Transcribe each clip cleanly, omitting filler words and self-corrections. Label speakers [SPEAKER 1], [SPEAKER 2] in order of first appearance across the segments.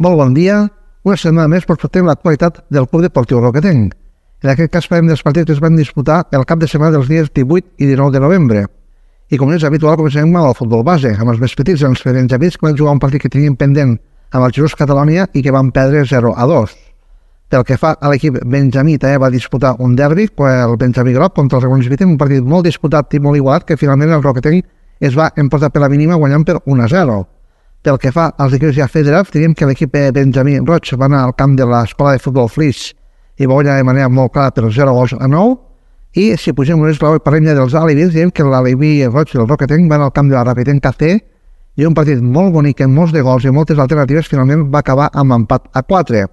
[SPEAKER 1] Molt bon dia. Una setmana més portem l'actualitat del Club Deportiu Roquetenc. En aquest cas parlem dels partits que es van disputar el cap de setmana dels dies 18 i 19 de novembre. I com és habitual, comencem amb el futbol base, amb els més petits, els benjamins, que van jugar un partit que tenien pendent amb el Girós Catalònia i que van perdre 0-2. Pel que fa a l'equip benjamí, també va disputar un derbi, el benjamí groc contra el Rebolins Vitem, un partit molt disputat i molt igualat, que finalment el Roquetenc es va emportar per la mínima guanyant per 1-0. Pel que fa als equips ja federats, diríem que l'equip benjamí roig va anar al camp de l'Escola de Futbol Flix i va guanyar de manera molt clara per 0-9. I si pugem un esglaó i parlem ja dels alibis, diríem que l'alibi roig del Roquetenc va anar al camp de la Rapitenc KC i un partit molt bonic amb molts de gols i moltes alternatives finalment va acabar amb empat a 4.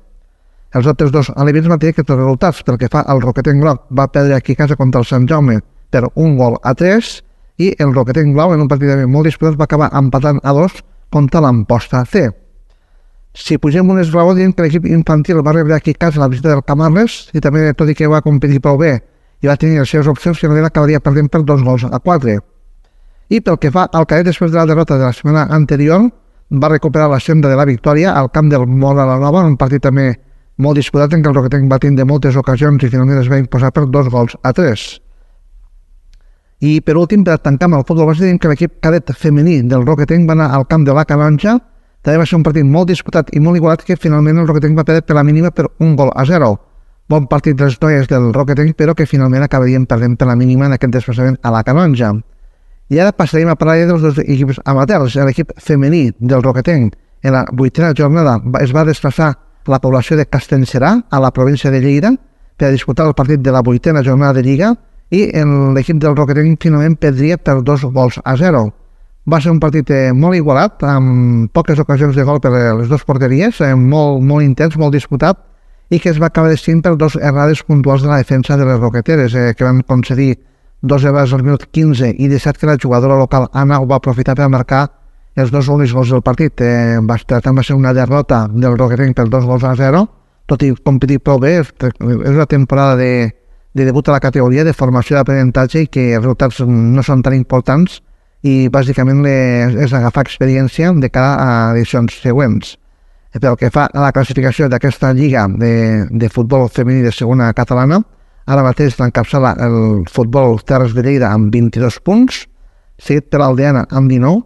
[SPEAKER 1] Els altres dos alibis van tenir aquests resultats. Pel que fa al Roquetenc groc, va perdre aquí a casa contra el Sant Jaume per 1-3 i el Roquetenc blau en un partit molt disputat va acabar empatant a 2 contra l'Amposta C. Si pugem un esglaó, diem que l'equip infantil va rebre aquí a casa la visita del Camarles i també, tot i que va competir prou bé i va tenir les seves opcions, finalment acabaria perdent per 2-4. I pel que fa al cadet, després de la derrota de la setmana anterior, va recuperar la senda de la victòria al camp del Mora la Nova, un partit també molt disputat en què el Roquetenc va tindre moltes ocasions i finalment es va imposar per 2-3. I per últim, per tancar amb el futbol base, diem que l'equip cadet femení del Roquetenc va anar al camp de la Canonja. També va ser un partit molt disputat i molt igualat que finalment el Roquetenc va perdre per la mínima per 1-0. Bon partit dels noies del Roquetenc, però que finalment acabarien perdent per la mínima en aquest desplaçament a la Canonja. I ara passarem a parlar dels dos equips amateurs. L'equip femení del Roquetenc en la 8a jornada es va desplaçar a la població de Castellserà, a la província de Lleida, per a disputar el partit de la 8a jornada de Lliga, i l'equip del Roquetenc finalment perdria per 2-0. Va ser un partit molt igualat, amb poques ocasions de gol per les dues porteries, molt intens, molt disputat, i que es va acabar decidint per 2 errades puntuals de la defensa de les roqueteres, que van concedir 2 errades al minut 15 i 17 que la jugadora local Anna ho va aprofitar per marcar els 2 únics gols del partit. Va ser una derrota del Roquetenc per 2-0, tot i competir prou bé. És una temporada de debut a la categoria, de formació d'aprenentatge i que els resultats no són tan importants i bàsicament és agafar experiència de cara a edicions següents. Pel que fa a la classificació d'aquesta lliga de futbol femení de segona catalana, ara mateix l'encapçala el Futbol Terres de Lleida amb 22 punts, seguit per l'Aldeana amb 19,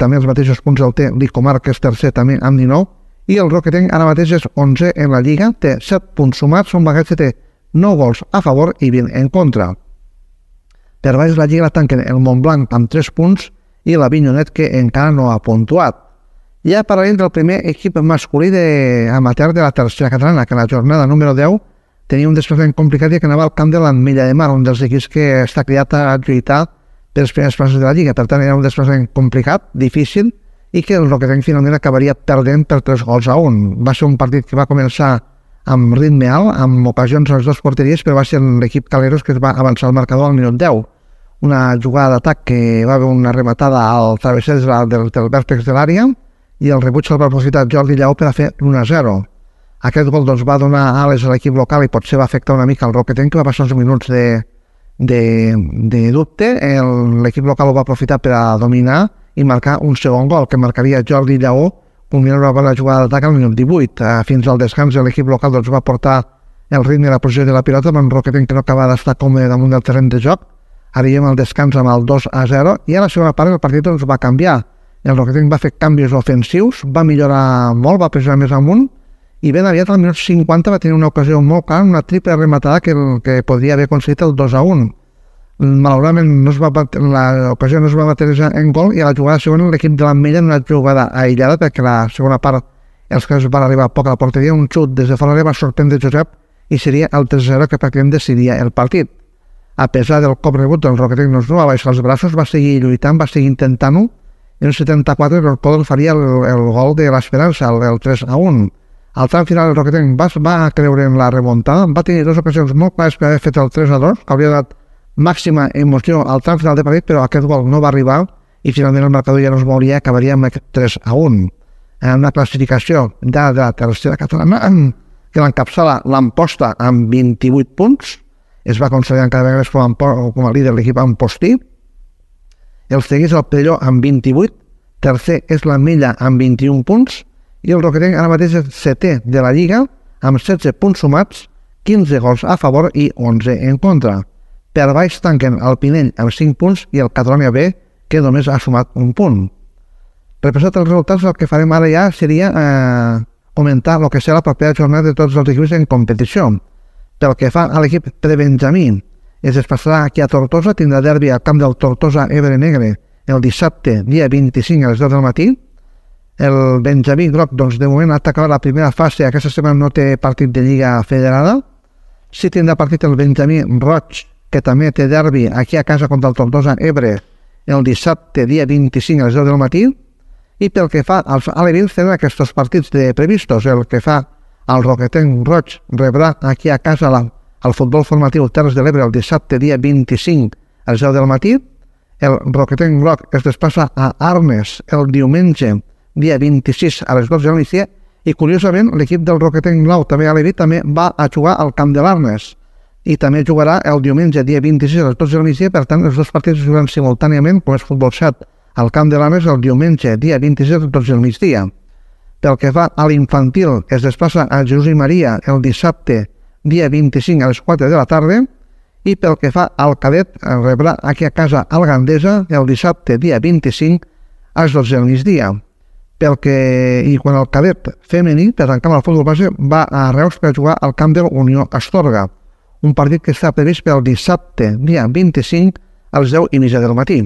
[SPEAKER 1] també els mateixos punts el té l'Icomar, que és tercer també amb 19, i el Roquetenc ara mateix és 11 en la lliga, té 7 punts sumats, on Bagatge té 9 gols a favor i 20 en contra. Per baix la lliga la tanquen el Montblanc amb 3 punts i l'Avinyonet, que encara no ha puntuat. Ja parlarem del primer equip masculí amateur de la tercera catalana, que en la jornada número 10 tenia un desplaçament complicat i que anava al camp de l'Ametlla de Mar, un dels equips que està criat a lluitar per les primeres places de la lliga. Per tant, era un desplaçament complicat, difícil, i que el Roquetenc finalment acabaria perdent per 3-1. Va ser un partit que va començar amb ritme alt, amb ocasions a les dues porteries, però va ser l'equip Caleros que es va avançar al marcador al minut 10. Una jugada d'atac que va haver una rematada al travesser del vèrtex de l'àrea i el rebuig el va aprofitar Jordi Lleó per a fer l'1-0. Aquest gol va donar ales a l'equip local i potser va afectar una mica el Roquetenc, que va passar uns minuts de dubte. L'equip local ho va aprofitar per a dominar i marcar un segon gol, que marcaria Jordi Lleó, culminant una bona jugada d'atac al minut 18. Fins al descans l'equip local va portar el ritme i la posició de la pilota, amb un Roquetenc que no acaba d'estar còmode damunt del terreny de joc. Arribem al descans amb el 2-0 i a la segona part el partit va canviar. El Roquetenc va fer canvis ofensius, va millorar molt, va pressionar més amunt i ben aviat al minut 50 va tenir una ocasió molt clara, una triple rematada que podria haver aconseguit el 2-1. Malauradament l'ocasió no es va materialitzar en gol i a la jugada segona l'equip de l'Ametlla en una jugada aïllada, perquè la segona part els que van arribar poc a la porteria, un xut des de fora va sorprendre Josep i seria el 3-0 que pràcticament decidiria el partit. A pesar del cop rebut, el Roquetenc no va baixar els braços, va seguir lluitant, va seguir intentant-ho. En el 74 el Podol faria el gol de l'Esperança, el 3-1. Al tram final el Roquetenc va creure en la remuntada, va tenir dues ocasions molt clares per haver fet el 3-2, que hauria donat màxima emoció al tram final de partit, però aquest gol no va arribar i finalment el marcador ja no es mouria, acabaria amb aquest 3-1. En una classificació de la tercera catalana que l'encapçala l'Amposta amb 28 punts, es va consolidar cada vegada més com a líder l'equip Ampostí. El segueix el Perelló amb 28, tercer és l'Ametlla amb 21 punts i el Roquetenc ara mateix és 7è de la Lliga amb 16 punts sumats, 15 gols a favor i 11 en contra. Per baix tanquen el Pinell amb 5 punts i el Catalonia B, que només ha sumat un punt. Repassat els resultats, el que farem ara ja seria comentar el que serà la propera jornada de tots els equips en competició. Pel que fa a l'equip prebenjamí, es desplaçarà aquí a Tortosa, tindrà derbi al camp del Tortosa Ebre Negre el dissabte, dia 25 a les 10 del matí. El Benjamí groc, doncs, de moment ha acabat la primera fase, aquesta setmana no té partit de Lliga Federada. Sí tindrà partit el Benjamí roig, que també té derbi aquí a casa contra el Tortosa Ebre el dissabte, dia 25 a les 10 del matí. I pel que fa als alevins, tenen aquests partits previstos. El que fa al Roquetenc roig rebrà aquí a casa al futbol formatiu Terres de l'Ebre el dissabte, dia 25 a les 10 del matí. El Roquetenc groc es desplaça a Arnes el diumenge, dia 26 a les 12 del migdia, i curiosament l'equip del Roquetenc blau, també a l'Evi, també va a jugar al camp de l'Arnes i també jugarà el diumenge, dia 26 a les 12 del migdia. Per tant, els dos partits es jugaran simultàniament, com és futbol 7, al camp de l'Arnes el diumenge, dia 26 a les 12 del migdia. Pel que fa a l'infantil, es desplaça a Jesús i Maria el dissabte, dia 25 a les 4 de la tarda, i pel que fa al cadet, rebrà aquí a casa al Gandesa el dissabte, dia 25 a les 12 del migdia. I quan el cadet femení, per tancar el futbol base, va a Reus per jugar al camp de l'Unió Astorga, un partit que està previst pel dissabte, dia 25 a les 10:30 del matí.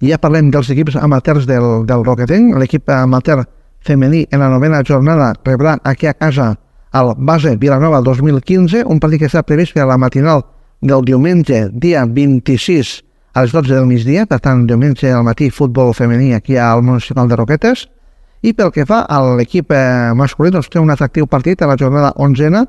[SPEAKER 1] I ja parlem dels equips amateurs del Roquetenc. L'equip amateur femení en la 9a jornada rebrà aquí a casa al Base Vilanova 2015, un partit que està previst per a la matinal del diumenge, dia 26 a les 12 del migdia, per tant, diumenge al matí, futbol femení aquí al Municipal de Roquetes. I pel que fa a l'equip masculí, doncs té un atractiu partit a la jornada 11a,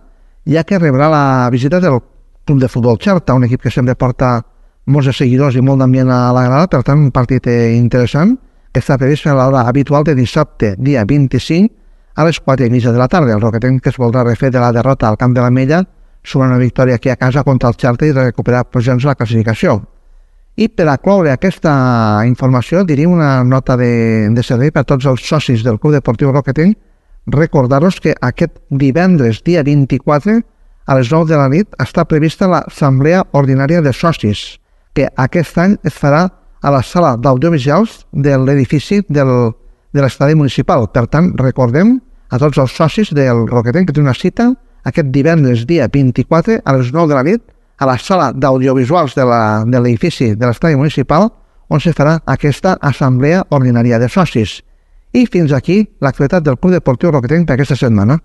[SPEAKER 1] ja que rebrà la visita del Club de Futbol Xerta, un equip que sempre porta molts de seguidors i molt d'ambient a la grada, per tant, un partit interessant, que està previst a l'hora habitual de dissabte, dia 25, a les 4:30 de la tarda. El Roquetenc, que es voldrà refer de la derrota al camp de l'Ametlla, sobre una victòria aquí a casa contra el Xerta i recuperar posicions a la classificació. I per a cloure aquesta informació, diria una nota de servei per a tots els socis del Club Deportiu Roquetenc. Recordar-vos que aquest divendres, dia 24, a les 9 de la nit, està prevista l'Assemblea Ordinària de Socis, que aquest any es farà a la sala d'audiovisuals de l'edifici de l'estadi municipal. Per tant, recordem a tots els socis del Roquetenc que té una cita aquest divendres, dia 24, a les 9 de la nit, a la sala d'audiovisuals de l'edifici de l'estadi municipal, on se farà aquesta assemblea ordinària de socis. I fins aquí l'actualitat del Club Deportiu Roquetenc per aquesta setmana.